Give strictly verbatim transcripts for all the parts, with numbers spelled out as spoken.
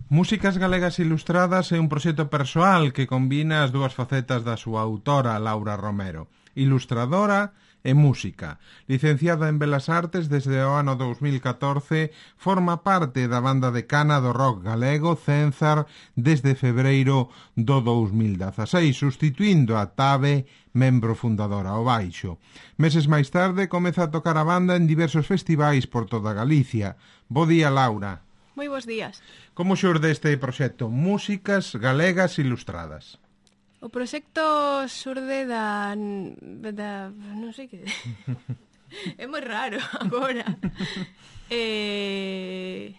Músicas Galegas Ilustradas é un proxecto persoal que combina as dúas facetas da súa autora, Laura Romero, ilustradora e música. Licenciada en Belas Artes desde o ano dous mil catorce, forma parte da banda decana do rock galego Cénzar desde febreiro do dous mil dezaseis, sustituindo a Tabe, membro fundadora ao baixo. Meses máis tarde comeza a tocar a banda en diversos festivais por toda Galicia. Bo día, Laura. Moi bons días. Como xurde este proxecto Músicas Galegas Ilustradas? O proxecto xurde da... da non sei que... é moi raro agora. eh...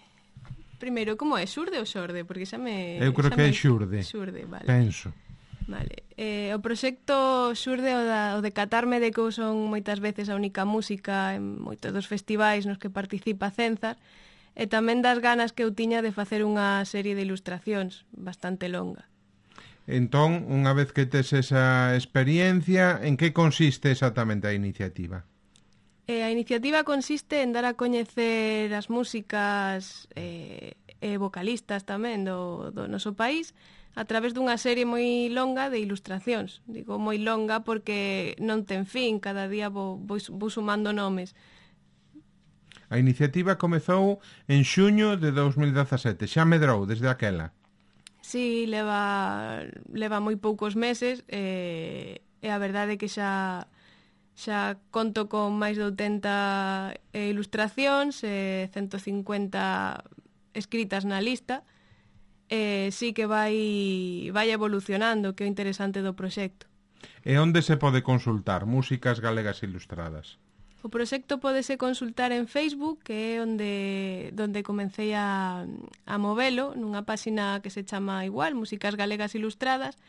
Primeiro, como é? Xurde ou xorde? Porque xa me... Eu creo que é xurde. Xurde, vale. Penso. Vale. Eh, o proxecto xurde o, da, o de catarme de que eu son moitas veces a única música en moitos dos festivais nos que participa Cénzar, e tamén das ganas que eu tiña de facer unha serie de ilustracións bastante longa. Entón, unha vez que tes esa experiencia, en que consiste exactamente a iniciativa? Eh, a iniciativa consiste en dar a coñecer as músicas e eh, eh, vocalistas tamén do, do noso país a través dunha serie moi longa de ilustracións. Digo moi longa porque non ten fin, cada día vou, vou, vou sumando nomes. A iniciativa comezou en xuño de dous mil dezasete, xa medrou desde aquela. Sí, leva, leva moi poucos meses e, e a verdade é que xa, xa conto con máis de oitenta ilustracións e ciento cincuenta escritas na lista e sí que vai, vai evolucionando, que é o interesante do proxecto. E onde se pode consultar Músicas Galegas Ilustradas? O proxecto pódese consultar en Facebook, que é onde, onde comecei a, a movelo, nunha páxina que se chama igual, Músicas Galegas Ilustradas,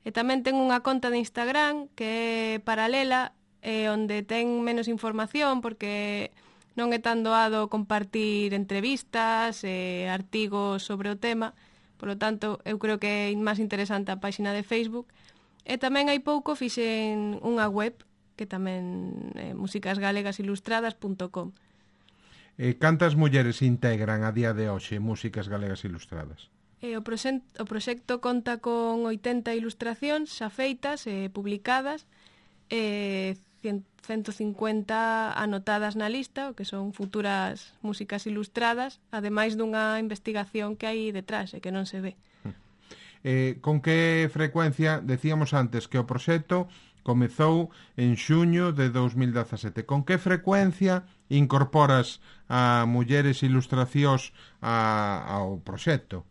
e tamén ten unha conta de Instagram que é paralela, e onde ten menos información, porque non é tan doado compartir entrevistas e artigos sobre o tema, polo tanto, eu creo que é máis interesante a páxina de Facebook, e tamén hai pouco fixen unha web, que tamén é músicas galegas ilustradas punto com. E cantas mulleres integran a día de hoxe Músicas Galegas Ilustradas? E o, proxecto, o proxecto conta con oitenta ilustracións xa feitas e publicadas e ciento cincuenta anotadas na lista, o que son futuras músicas ilustradas, ademais dunha investigación que hai detrás e que non se ve. Eh, con que frecuencia, decíamos antes que o proxecto comezou en xuño de dous mil dezasete. Con que frecuencia incorporas a mulleres ilustracións a, ao proxecto?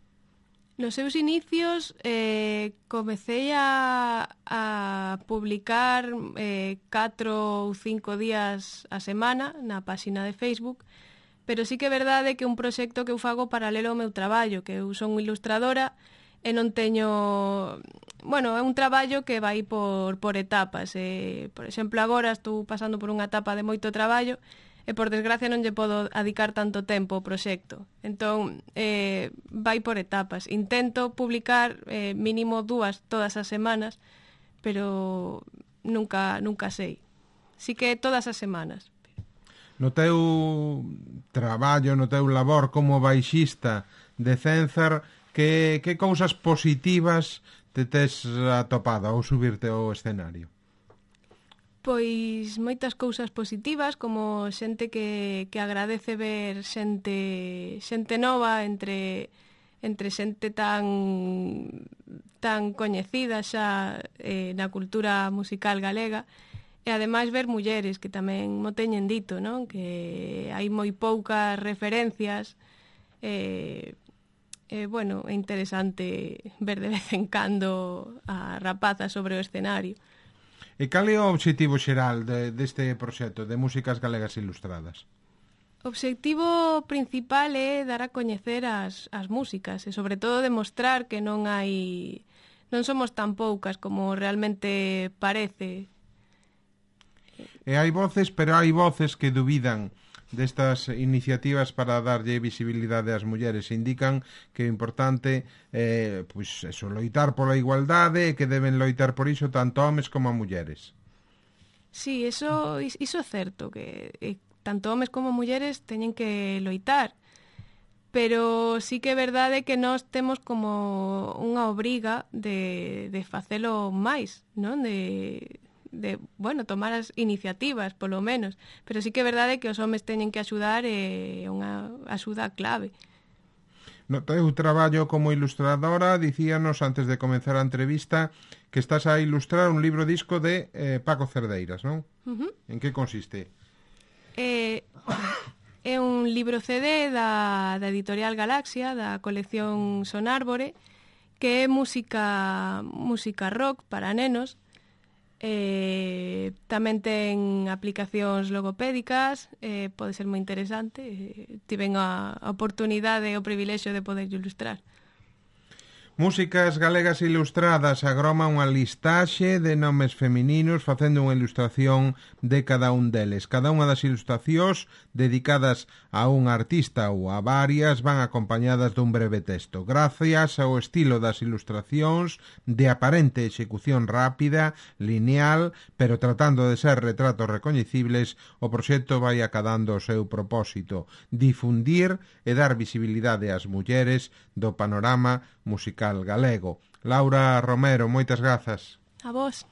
Nos seus inicios eh, comecei a, a publicar eh, catro ou cinco días a semana na páxina de Facebook, pero sí que é verdade que é un proxecto que eu fago paralelo ao meu traballo, que eu son ilustradora e non teño... Bueno, é un traballo que vai por, por etapas. E, por exemplo, agora estou pasando por unha etapa de moito traballo e, por desgracia, non lle podo dedicar tanto tempo ao proxecto. Entón, eh, vai por etapas. Intento publicar eh, mínimo dúas todas as semanas, pero nunca, nunca sei. Sí que todas as semanas. No teu traballo, no teu labor como baixista de Cénzar, que, que cousas positivas te tes atopado ao subirte ao escenario? Pois moitas cousas positivas, como xente que, que agradece ver xente, xente nova entre, entre xente tan, tan coñecida xa eh, na cultura musical galega, e ademais ver mulleres, que tamén mo teñen dito, non? Que hai moi poucas referencias, eh, Eh, bueno, é interesante ver de vez en cando a rapazas sobre o escenario. E cal é o obxectivo xeral de, deste proxecto de Músicas Galegas Ilustradas? O obxectivo principal é dar a coñecer as, as músicas e sobre todo demostrar que non hai non somos tan poucas como realmente parece. E hai voces, pero hai voces que dubidan destas iniciativas para darlle visibilidade ás mulleres. Indican que é importante eh, pois eso, loitar pola igualdade e que deben loitar por iso tanto homes como mulleres. Sí, eso, iso é certo, que eh, tanto homes como mulleres teñen que loitar. pero sí que é verdade que nós temos como unha obriga de, de facelo máis, non? De, de, bueno, tomar as iniciativas, polo menos. Pero sí que é verdade que os homes teñen que axudar e é unha axuda clave. No teu traballo como ilustradora, dicíanos antes de comenzar a entrevista que estás a ilustrar un libro disco de eh, Paco Cerdeiras, non? Uh-huh. En que consiste? Eh... É un libro C D da, da editorial Galaxia, da colección Sonárbore, que é música, música rock para nenos. Eh, tamén ten aplicacións logopédicas, eh, pode ser moi interesante. Eh, tiven a, a oportunidade e o privilexio de poder ilustrar. Músicas Galegas Ilustradas agroma unha listaxe de nomes femininos facendo unha ilustración de cada un deles. Cada unha das ilustracións dedicadas a un artista ou a varias van acompañadas dun breve texto. Gracias ao estilo das ilustracións de aparente execución rápida, lineal, pero tratando de ser retratos recoñecibles, o proxecto vai acadando o seu propósito: difundir e dar visibilidade ás mulleres do panorama musical galego. Laura Romero, moitas grazas. A vos.